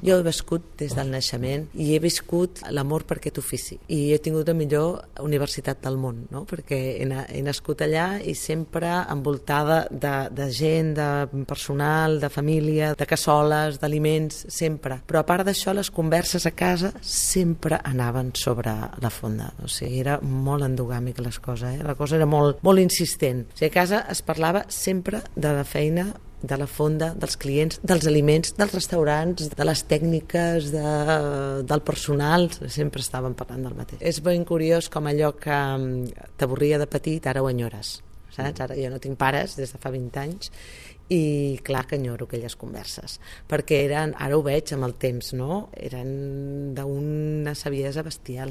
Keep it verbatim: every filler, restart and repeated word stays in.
Jo he viscut des del naixement i he viscut l'amor per aquest ofici i he tingut la millor universitat del món, no? Perquè he, he nascut allà i sempre envoltada de, de gent, de personal, de família, de cassoles, d'aliments, sempre. Però a part d'això, les converses a casa sempre anaven sobre la fonda. O sigui, era molt endogàmic les coses, eh? La cosa era molt, molt insistent. O sigui, a casa es parlava sempre de la feina, de la fonda, dels clients, dels aliments, dels restaurants, de les tècniques, de, del personal, sempre estàvem parlant del mateix. És ben curiós com allò que t'avorria de petit, ara ho enyores, saps? Ara jo no tinc pares des de fa vint anys i clar que enyoro aquelles converses, perquè eren, ara ho veig amb el temps, no? Eren d'una saviesa bestial.